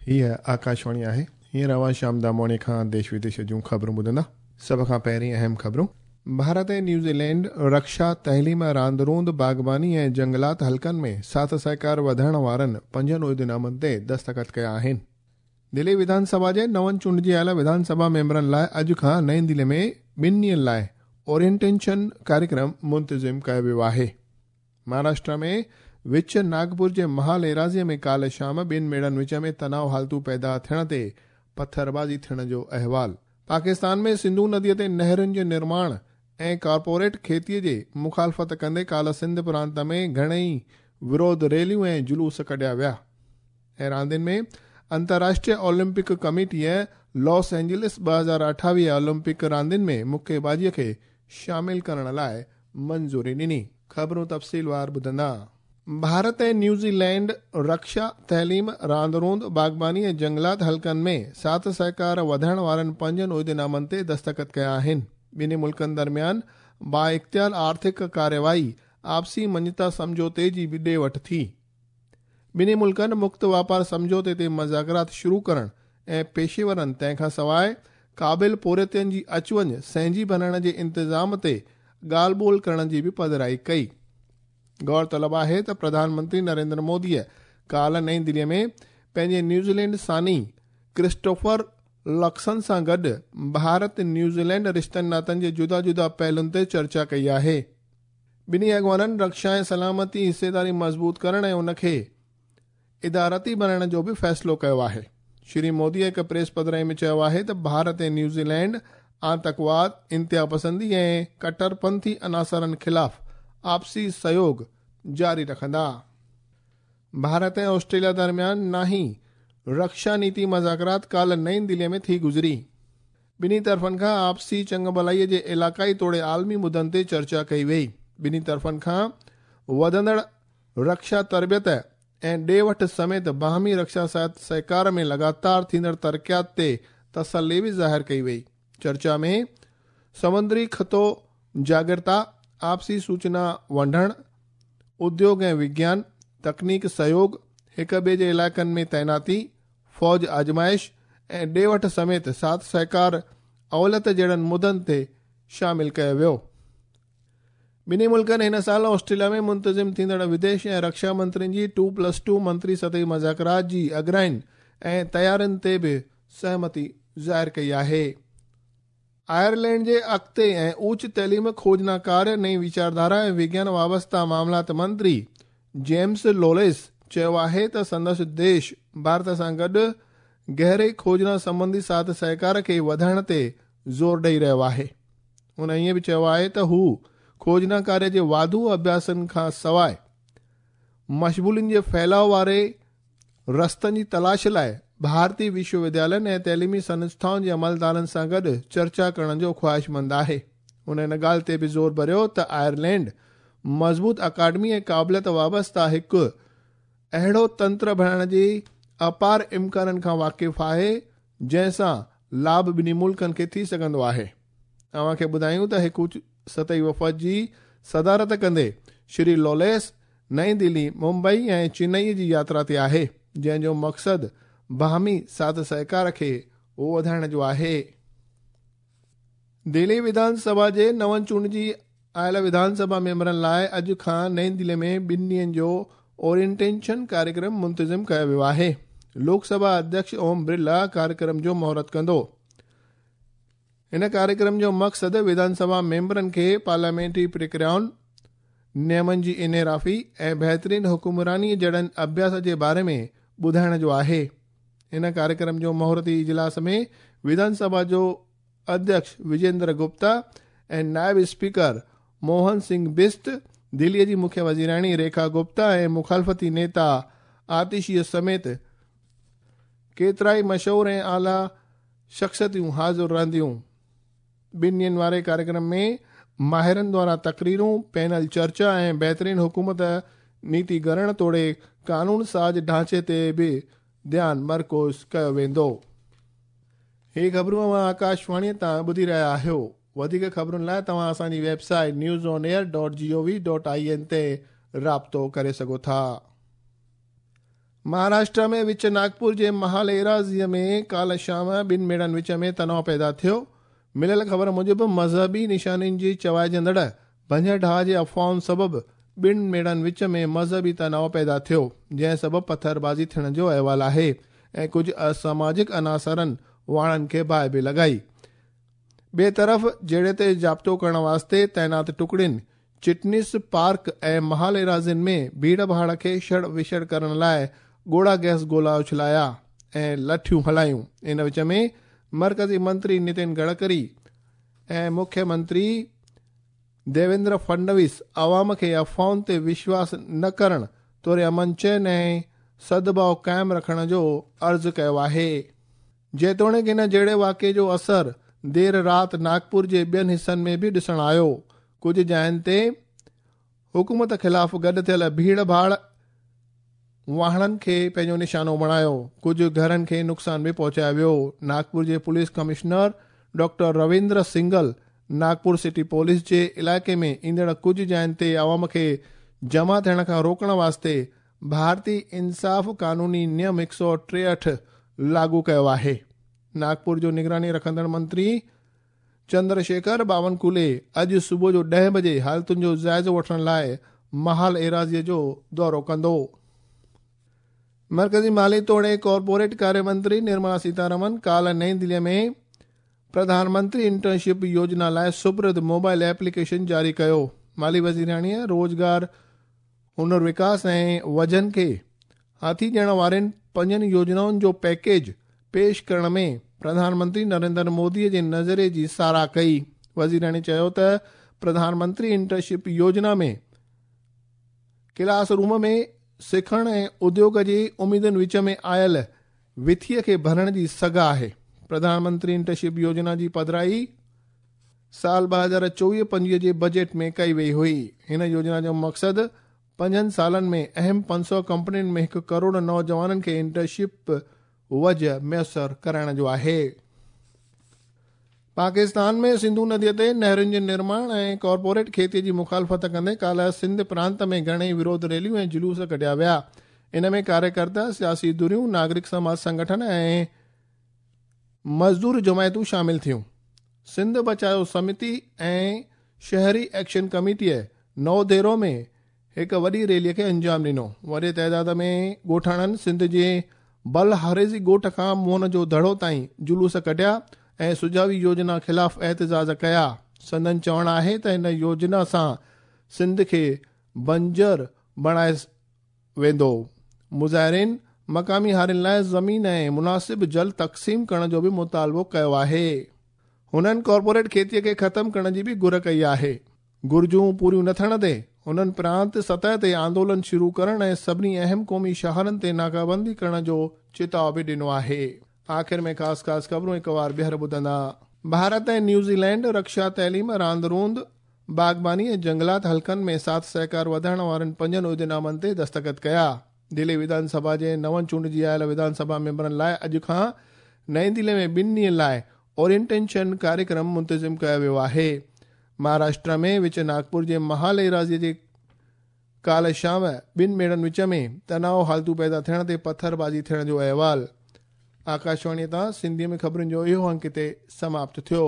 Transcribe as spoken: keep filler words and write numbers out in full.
हीअ आकाशवाणी आहे। हींअर अव्हां श्याम दामोणी खां देश विदेश जूं ख़बरूं ॿुधंदा। सभ खां पहिरीं अहम ख़बरूं। भारत ऐं न्यूज़ीलैंड रक्षा, तइलीम, रांदि रूंदि, बाग़बानी ऐं जंगलात हल्कनि में साथ सहकार वधाइण वारनि पंजनि उहिदनामनि ते दस्तख़त कया आहिनि। दिल्ली विधानसभा जे नवनि चूंडिजी आयल विधानसभा मेंबरनि लाइ अॼु खां नई दिल्ली में ॿिनि ॾींहंनि लाइ ओरिएंटेशन कार्यक्रम मुंतज़िम कयो वियो आहे। महाराष्ट्र में विच नागपुर जे महाल एराज़ीअ में काल्ह शाम ॿिनि मेड़नि विच में तनाव हालतूं पैदा थियण ते पथरबाज़ी थियण जो अहवाल। पाकिस्तान में सिंधु नदीअ ते नहरुनि जे निर्माण ऐं कॉर्पोरेट खेतीअ जे मुखालफ़त कंदे काल्ह सिंध प्रांत में घणेई विरोध रैलियूं ऐं जुलूस कढिया विया। ऐं रांदियुनि में अंतर्राष्ट्रीय ओलंपिक कमेटीअ लॉस एंजलिस ॿ हज़ार अठावीह ओलंपिक रांदियुनि में मुक्केबाज़ीअ खे शामिल करण लाइ मंज़ूरी ॾिनी। ख़बरूं तफ़सीलवार ॿुधंदा। भारत ऐं न्यूज़ीलैंड रक्षा, तइलीम, रांदि रूंदि, बाग़बानी ऐं जंगलात हल्कनि में साथ सहकार वधाइण वारनि पंजनि उहिदनामनि ते दस्तख़त कया आहिनि। ॿिन्ही मुल्कनि दरमियान बाइख़्तियार आर्थिक कार्यवाही आपसी मञता सम्झौते जी बि ॾे वठि थी। ॿिन्ही मुल्कनि मुक्त वापार सम्झौते ते मज़ाकरात शुरू करण ऐं पेशेवरनि तंहिंखां सवाइ क़ाबिल पोरियतनि जी अचु वञ सहंजी बणाइण जे इंतज़ाम ते ॻाल्हि ॿोल करण जी बि पधराई कई। गौर तलब आहे त प्रधानमंत्री नरेंद्र मोदीअ काल्ह नई दिल्लीअ में पंहिंजे न्यूज़ीलैंड सानी क्रिस्टोफर लक्सन सां गॾु भारत न्यूज़ीलैंड रिश्तनि नातनि जे जुदा जुदा पहलुनि ते चर्चा कई आहे। ॿिन्ही अॻवाननि रक्षा ऐं सलामती हिस्सेदारी मज़बूत करण ऐं उनखे इदारती बणाइण जो बि फ़ैसिलो कयो आहे। श्री मोदी हिकु प्रेस पधराई में चयो आहे त भारत ऐं न्यूज़ीलैंड आतंकवाद, इंतिहा पसंदी ऐं कट्टरपंथी अनासरनि ख़िलाफ़ आपसी सहयोग जारी रखंदा। भारत ऐं ऑस्ट्रेलिया दरमियान नाही रक्षा नीति मज़ाकरात काल्ह नई दिल्लीअ में थी गुज़री। ॿिन्ही तरफ़नि खां आपसी चङभलाईअ जे इलाक़ाई तोड़े आलमी मुद्दनि ते चर्चा कई वई। ॿिन्ही तरफ़नि खां वधंदड़ रक्षा तरबियत ऐं ॾे वठि समेत बाहमी रक्षा सहकार में लगातार थींदड़ तरक़ियात ते तसली बि ज़ाहिर कई वई। चर्चा में समुंद्री ख़ितो जागरूकता, आपसी सूचना वंडण, उद्योग ऐं विज्ञान, तकनीक सहयोग, हिक ॿिए जे इलाइक़नि में तैनाती, फ़ौज आज़माइश ऐं ॾे वठि समेत साथ सहकार अवलत जहिड़नि मुद्दनि ते शामिल कयो वियो। ॿिन्ही मुल्कनि हिन साल ऑस्ट्रेलिया में मुंतज़िम थींदड़ विदेश ऐं रक्षा मंत्रियुनि जी टू प्लस टू मंत्री सतही मज़ाकरात जी अॻराइनि ऐं तयारियुनि ते बि सहमति ज़ाहिर कई आहे। आयरलैंड जे अॻिते ऐं उच्च तइलीम, खोजना कार्य, नई वीचारधारा ऐं विज्ञान वाबस्ता मामलात मंत्री जेम्स लोलेस चयो आहे त संदसि देश भारत सां गॾु गहरे खोजना संबंधी साथ सहकार खे वधाइण ते ज़ोर ॾेई रहियो आहे। हुन ईअं बि चयो आहे त हू खोजना कार्य जे वाधू अभ्यासनि खां सवाइ मशगूलियुनि जे फैलाव वारे रस्तनि जी तलाश लाइ भारतीय विश्वविद्यालयनि ऐं तइलीमी संस्थाउनि जे अमलदारनि सां गॾु चर्चा करण जो ख़्वाहिशमंद आहे। हुन इन ॻाल्हि ते बि ज़ोर भरियो त आयरलैंड मज़बूत अकादमी ऐं क़ाबिलियत वाबस्ता हिकु अहिड़ो तंत्र बणाइण जी अपार इम्काननि खां वाक़िफ़ आहे जंहिंसां लाभ ॿिन्ही मुल्कनि खे थी सघंदो आहे। अव्हांखे ॿुधायूं त हिकु उच्च सतही वफ़द जी सदारत कंदे श्री लोलेस नई दिल्ली, मुंबई ऐं चेन्नई जी यात्रा ते आहे जंहिंजो मक़सदु बाहमी साथ सहकार खे वधाइण जो आहे। दिल्ली विधानसभा जे नवनि चूंडिजी आयल विधानसभा मेंबरनि लाइ अॼु खां नई दिल्ली में ॿिनि ॾींहंनि जो ओरिएंटेशन कार्यक्रम मुंतज़िम कयो वियो आहे। लोकसभा अध्यक्ष ओम बिरला कार्यक्रम जो मुहूर्त कंदो। इन कार्यक्रम जो मक़सदु विधानसभा मेंबरनि खे पार्लियामेंटरी प्रक्रियाउनि, नियमनि जी इनहिराफ़ी ऐं बहितरीन हुकुमरानीअ जहिड़नि अभ्यास जे बारे में ॿुधाइण जो आहे। इन कार्यक्रम जो मुहूर्ती इजलास में विधानसभा जो अध्यक्ष विजेंद्र गुप्ता ऐं नायब स्पीकर मोहन सिंह बिस्ट, दिल्लीअ जी मुख्य वज़ीराणी रेखा गुप्ता ऐं मुखालफ़ती नेता आतिशीअ समेत केतिरा ई मशहूर ऐं आला शख़्सियतूं हाज़िर रहंदियूं। ॿिनि ॾींहंनि वारे कार्यक्रम में माहिरनि द्वारा तकरीरूं, पैनल चर्चा ऐं बहितरीन हुकूमत नीति गढ़ण तोड़े कानून साज़ ढांचे ते बि ध्यानु मरकूज़ कयो वेंदो। ही ख़बरूं अव्हां आकाशवाणीअ तां ॿुधी रहिया आहियो। वधीक ख़बरुनि लाइ तव्हां असांजी website news on air dot G O V dot I N ते राब्तो करे सघो था। महाराष्ट्र में विच नागपुर जे महाल एराज़ीअ में काल्ह शाम ॿिनि मेड़नि विच में तनाव पैदा थियो। मिलियल ख़बर मूजिबि मज़हबी निशानियुनि जी चवाइजंदड़ भञ ढाह जे अफ़वाहुनि सबबि ॿिनि मेड़नि विच में मज़हबी तनाव पैदा थियो, जंहिं सबबि पथरबाज़ी थियण जो अहिवाल आहे ऐं कुझु असामाजिक अनासरनि वाणनि खे बाहि बि लॻाई। ॿिए तरफ़ जहिड़े ते ज़ाब्तो करण वास्ते तैनात टुकड़ियुनि चिटनिस पार्क ऐं महाल एराज़ियुनि में भीड़ भाड़ खे छड़ विछड़ करण लाइ ॻोढ़ा गैस गोला उछलाया ऐं लठियूं हलायूं। इन विच में मर्कज़ी मंत्री नितिन गडकरी ऐं मुख्यमंत्री देवेंद्र फडणवीस आवाम खे अफ़वाहुनि ते विश्वास न करण तोड़े अमन चैन ऐं सद्भाव क़ाइमु रखण जो अर्ज़ु कयो आहे। जेतोणीकि इन जहिड़े वाक़िए जो असर देरि राति नागपुर जे ॿियनि हिसनि में बि ॾिसण आयो। कुझु जायुनि ते हुकूमत ख़िलाफ़ गॾु थियल भीड़ भाड़ वाहणनि खे पंहिंजो निशानो बणायो, कुझु घरनि खे नुक़सानु बि पहुचायो वियो। नागपुर जे police commissioner doctor Ravindra Singhal Nagpur city police जे इलाइक़े में ईंदड़ कुझु जायुनि ते आवाम खे जमा थियण खां रोकण वास्ते भारतीय इंसाफ़ कानूनी नियम हिकु सौ टेहठि लागू कयो आहे। नागपुर जो निगरानी रखंदड़ मंत्री चंद्रशेखर बावनकुले अॼु सुबुह जो ॾह बजे हालतुनि जो जाइज़ो वठण लाइ महाल एराज़ीअ जो दौरो कंदो। मर्कज़ी माली तोड़े कॉरपोरेट कार्य मंत्री निर्मला सीतारमन काल्ह नई दिल्लीअ में प्रधानमंत्री इंटर्नशिप योजना लाइ सुपुर्द मोबाइल एप्लीकेशन जारी कयो। माली वज़ीराणीअ रोज़गार, हुनर विकास ऐं वजन खे हाथी ॾियण वारनि पंजनि योजनाउनि जो पैकेज पेश करण में प्रधानमंत्री नरेंद्र मोदीअ जे नज़रिए जी सराह कई। वज़ीराणी चयो त प्रधानमंत्री इंटर्नशिप योजना में क्लास रूम में सिखण ऐं उद्योग जी उम्मीदुनि विच में आयल विथीअ खे भरण जी सघ आहे। प्रधानमंत्री इंटर्नशिप योजना जी पधराई साल ॿ हज़ार चोवीह पंजवीह जे बजट में कई वई हुई। हिन योजना जो मक़सदु पंजनि सालनि में अहम पंज सौ कंपनियुनि में हिकु करोड़ नौजवाननि खे इंटर्नशिप वजह मयसर कराइण जो आहे। पाकिस्तान में सिंधु नदीअ ते नहरुनि जे निर्माण ऐं कॉरपोरेट खेतीअ जी मुखालफ़त कंदे काल्ह सिंध प्रांत में घणेई विरोध रैलियूं ऐं जुलूस कढिया विया। इन में कार्यकर्ता, सियासी धुरियूं, नागरिक समाज संगठन ऐं मज़दूर जमायतूं शामिल थियूं। सिंध बचायो समिति ऐं शहरी एक्शन कमेटीअ नौदेरो में हिकु वॾी रैलीअ खे अंजाम ॾिनो। वॾे तादाद में ॻोठाणनि सिंध जे बल हारेज़ी ॻोठ खां मोहन जो दड़ो ताईं जुलूस कढिया ऐं सुझावी योजना ख़िलाफ़ एहतजाज कया। संदन चवणु आहे त हिन योजना सां सिंध खे बंजर बणाए वेंदो। मुज़ाहिरीन मक़ामी हारियुनि लाइ ज़मीन ऐं मुनासिब जल तक़सीम करण जो बि मुतालबो कयो आहे। हुननि कॉरपोरेट खेतीअ खे ख़तमु करण जी बि घुर कई आहे। घुर्जूं पूरियूं न थियण ते हुननि प्रांत सतह ते आंदोलन शुरू करण ऐं सभिनी अहम क़ौमी शहरनि ते नाकाबंदी करण जो चेताव बि ॾिनो आहे। आख़िर में ख़ासि ख़ासि ख़बरूं हिकु वार ॿीहर ॿुधंदा। भारत ऐं न्यूज़ीलैंड रक्षा, तइलीम, रांदि रूंदि, बाग़बानी ऐं जंगलात हल्कनि में साथ सहकार वधाइण वारनि पंजनि उहिदेनामनि ते दस्तख़त कया। दिल्ली विधानसभा जे नवनि चूंडिजी आयल विधानसभा मेंबरनि लाइ अॼु खां नई दिल्ली में ॿिनि ॾींहनि लाइ ओरिएंटेशन कार्यक्रम मुंतज़िम कयो वियो आहे। महाराष्ट्र में विच नागपुर जे महाल एराज़ीअ जे काल्ह शाम ॿिनि मेड़नि विच में तनाव हालतूं पैदा थियण ते पथरबाज़ी थियण जो अहिवाल। आकाशवाणीअ तां सिंधीअ में ख़बरुनि जो इहो अंक हिते समाप्त थियो।